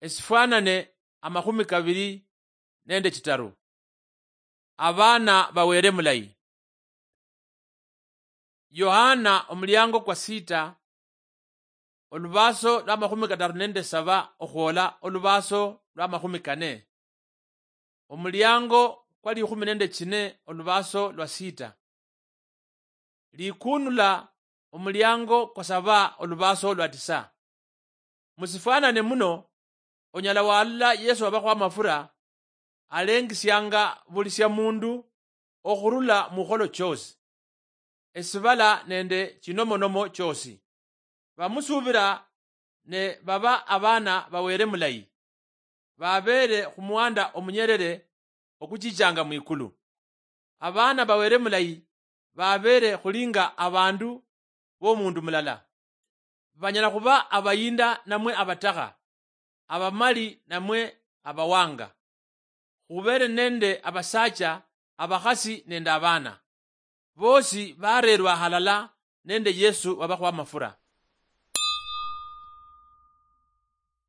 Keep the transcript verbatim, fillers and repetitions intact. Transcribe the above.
Esifwanane amakhumi kabiri nende chitaru. Abaana bawere mulayi. Yohana omuliango kwa sita, olubaso lwa makhumi kataru nende saba okhwola olubaso lwa makhumi kane. Omuliango kwa likhumi nende chine olubaso lwa sita. Likunula omuliango kwa saba olubaso lwa tisa. Musifwanane muno, onyala walola Yesu wabakho amafura alengisianga buli sia mundu okhurula mukholo choosi, esibala nende chinomonomo choosi. Bamusuubira ne baba abaana bawere mulayi, babeere khumuhanda omunyerere okuchichanga mwikulu. Abaana bawere mulayi babeere khulinga abandu bomundu mulala. Banyala khuba abayinda namwe abatakha, abamali namwe abawanga. Khubere nende abasacha, abakhasi nende abaana. Bosi barerwa halala nende Yesu wabakhuwa amafura.